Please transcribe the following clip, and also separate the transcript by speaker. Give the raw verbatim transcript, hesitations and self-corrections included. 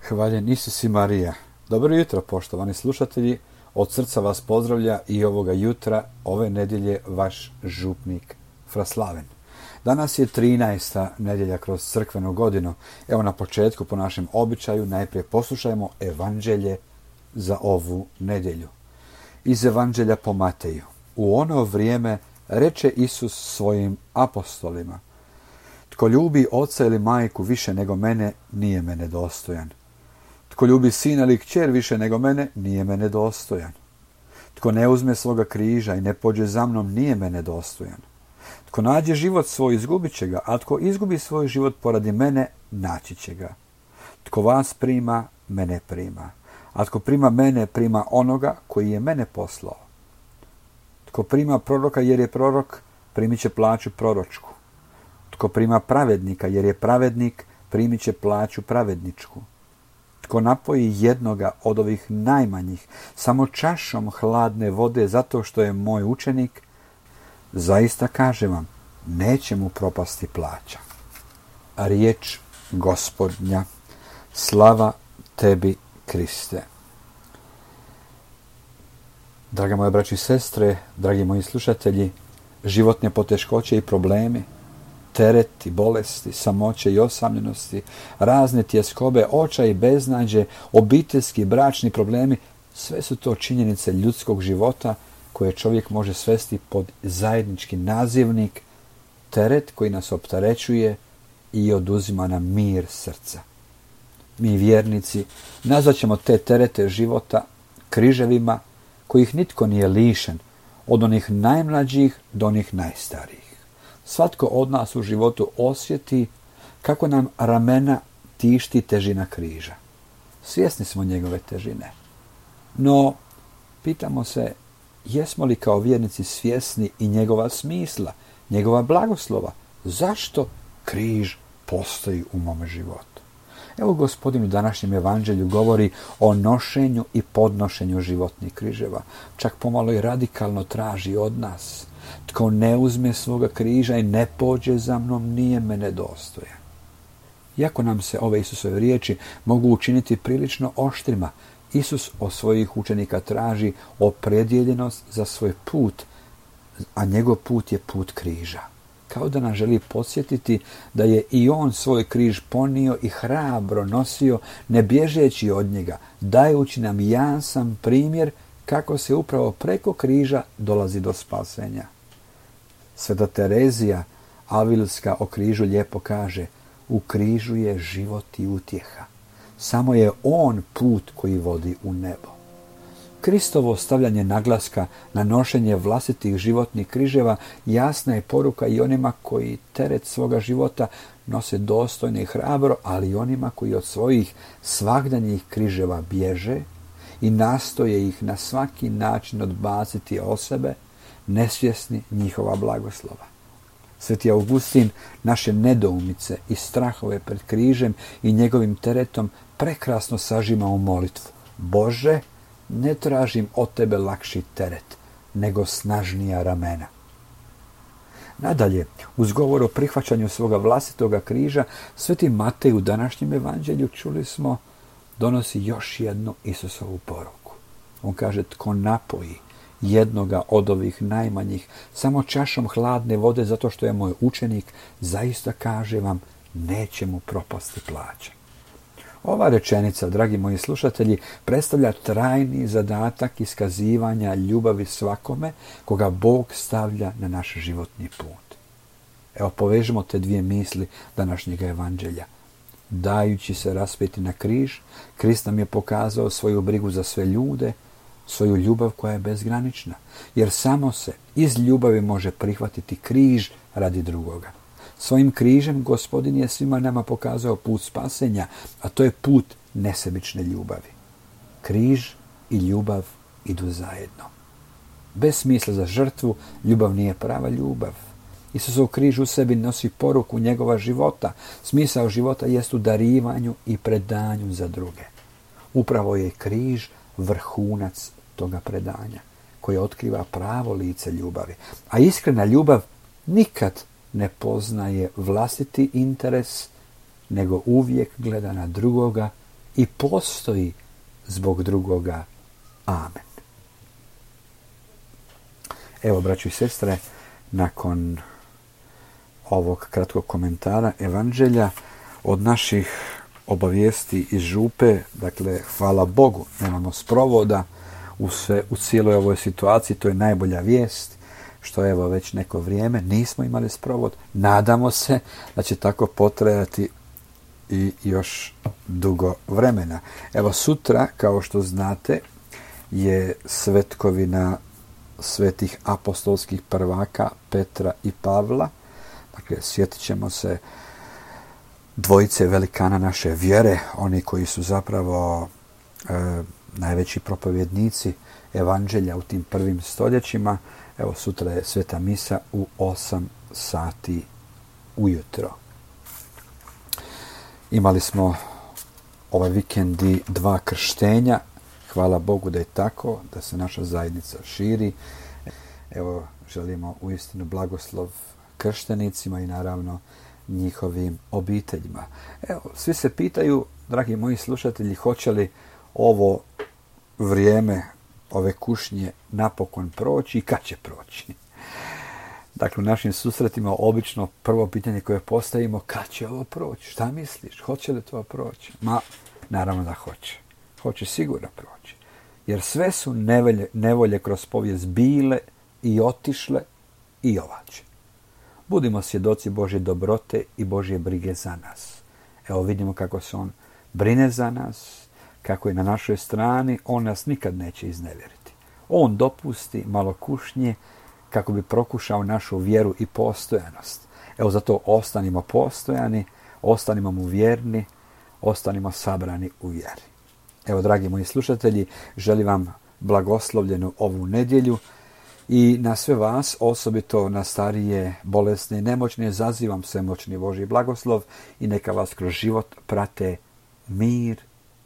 Speaker 1: Hvaljen Isus i Marija. Dobro jutro, poštovani slušatelji. Od srca vas pozdravlja i ovoga jutra, ove nedjelje, vaš župnik Fraslaven. Danas je trinaesta nedjelja kroz crkvenu godinu. Evo na početku, po našem običaju, najprije poslušajmo evanđelje za ovu nedjelju. Iz evanđelja po Mateju. U ono vrijeme reče Isus svojim apostolima: Tko ljubi oca ili majku više nego mene, nije mene dostojan. Tko ljubi sina ili kćer više nego mene, nije mene dostojan. Tko ne uzme svoga križa i ne pođe za mnom, nije mene dostojan. Tko nađe život svoj, izgubit će ga, a tko izgubi svoj život poradi mene, naći će ga. Tko vas prima, mene prima, a tko prima mene, prima onoga koji je mene poslao. Tko prima proroka jer je prorok, primit će plaću proročku. Tko prima pravednika jer je pravednik, primit će plaću pravedničku. Tko napoji jednoga od ovih najmanjih samo čašom hladne vode zato što je moj učenik, zaista kažem vam, neće mu propasti plaća. A riječ Gospodnja. Slava tebi, Kriste. Draga moje braći i sestre, dragi moji slušatelji, životne poteškoće i problemi, tereti, bolesti, samoće i osamljenosti, razne tjeskobe, očaj i beznađe, obiteljski i bračni problemi, sve su to činjenice ljudskog života koje čovjek može svesti pod zajednički nazivnik, teret koji nas opterećuje i oduzima nam mir srca. Mi vjernici nazvat ćemo te terete života križevima kojih nitko nije lišen, od onih najmlađih do onih najstarijih. Svatko od nas u životu osjeti kako nam ramena tišti težina križa. Svjesni smo njegove težine. No, pitamo se, jesmo li kao vjernici svjesni i njegova smisla, njegova blagoslova? Zašto križ postoji u mome životu? Evo Gospodin u današnjem evanđelju govori o nošenju i podnošenju životnih križeva. Čak pomalo i radikalno traži od nas: Tko ne uzme svoga križa i ne pođe za mnom, nije mene dostojan. Iako nam se ove Isusove riječi mogu učiniti prilično oštrima, Isus od svojih učenika traži opredjeljenost za svoj put, a njegov put je put križa. Kao da nas želi podsjetiti da je i on svoj križ ponio i hrabro nosio, ne bježeći od njega, dajući nam jasan primjer kako se upravo preko križa dolazi do spasenja. Sveta Terezija Avilska o križu lijepo kaže: u križu je život i utjeha. Samo je on put koji vodi u nebo. Kristovo stavljanje naglaska na nošenje vlastitih životnih križeva jasna je poruka i onima koji teret svoga života nose dostojno i hrabro, ali i onima koji od svojih svagdanjih križeva bježe i nastoje ih na svaki način odbaciti od sebe, nesvjesni njihova blagoslova. Sveti Augustin naše nedoumice i strahove pred križem i njegovim teretom prekrasno sažima u molitvu: Bože, ne tražim od tebe lakši teret, nego snažnija ramena. Nadalje, uz govor o prihvaćanju svoga vlastitoga križa, sveti Matej u današnjem evanđelju, čuli smo, donosi još jednu Isusovu poruku. On kaže: Tko napoji jednoga od ovih najmanjih samo čašom hladne vode zato što je moj učenik, zaista kaže vam, neće mu propasti plaća. Ova rečenica, dragi moji slušatelji, predstavlja trajni zadatak iskazivanja ljubavi svakome koga Bog stavlja na naš životni put. Evo, povežemo te dvije misli današnjeg evanđelja. Dajući se raspeti na križ, Krist nam je pokazao svoju brigu za sve ljude, svoju ljubav koja je bezgranična, jer samo se iz ljubavi može prihvatiti križ radi drugoga. Svojim križem Gospodin je svima nama pokazao put spasenja, a to je put nesebične ljubavi. Križ i ljubav idu zajedno. Bez smisla za žrtvu, ljubav nije prava ljubav. Isusov križ u sebi nosi poruku njegova života. Smisao života jest u darivanju i predanju za druge. Upravo je križ vrhunac toga predanja, koje otkriva pravo lice ljubavi. A iskrena ljubav nikad ne poznaje vlastiti interes, nego uvijek gleda na drugoga i postoji zbog drugoga. Amen. Evo, braćo i sestre, nakon ovog kratkog komentara Evanđelja od naših obavijesti iz župe, dakle, hvala Bogu, nemamo sprovoda u, sve, u cijeloj ovoj situaciji, to je najbolja vijest, što evo već neko vrijeme nismo imali sprovod. Nadamo se da će tako potrajati i još dugo vremena. Evo, sutra, kao što znate, je svetkovina svetih apostolskih prvaka Petra i Pavla. Dakle, sjetit ćemo se dvojice velikana naše vjere, oni koji su zapravo e, najveći propovjednici Evanđelja u tim prvim stoljećima. Evo, sutra je sveta misa u osam sati ujutro. Imali smo ovaj vikendi dva krštenja. Hvala Bogu da je tako, da se naša zajednica širi. Evo, želimo uistinu blagoslov krštenicima i naravno njihovim obiteljima. Evo, svi se pitaju, dragi moji slušatelji, hoće li ovo vrijeme, ove kušnje napokon proći i kad će proći? Dakle, u našim susretima obično prvo pitanje koje postavimo, kad će ovo proći? Šta misliš? Hoće li to proći? Ma, naravno da hoće. Hoće sigurno proći. Jer sve su nevolje, nevolje kroz povijest bile i otišle i ovaće. Budimo svjedoci Božje dobrote i Božje brige za nas. Evo, vidimo kako se on brine za nas, kako je na našoj strani, on nas nikad neće iznevjeriti. On dopusti malo kušnje kako bi prokušao našu vjeru i postojanost. Evo, zato ostanimo postojani, ostanimo mu vjerni, ostanimo sabrani u vjeri. Evo, dragi moji slušatelji, želim vam blagoslovljenu ovu nedjelju i na sve vas, osobito na starije, bolesne i nemoćne, zazivam svemoćni Božji blagoslov i neka vas kroz život prate mir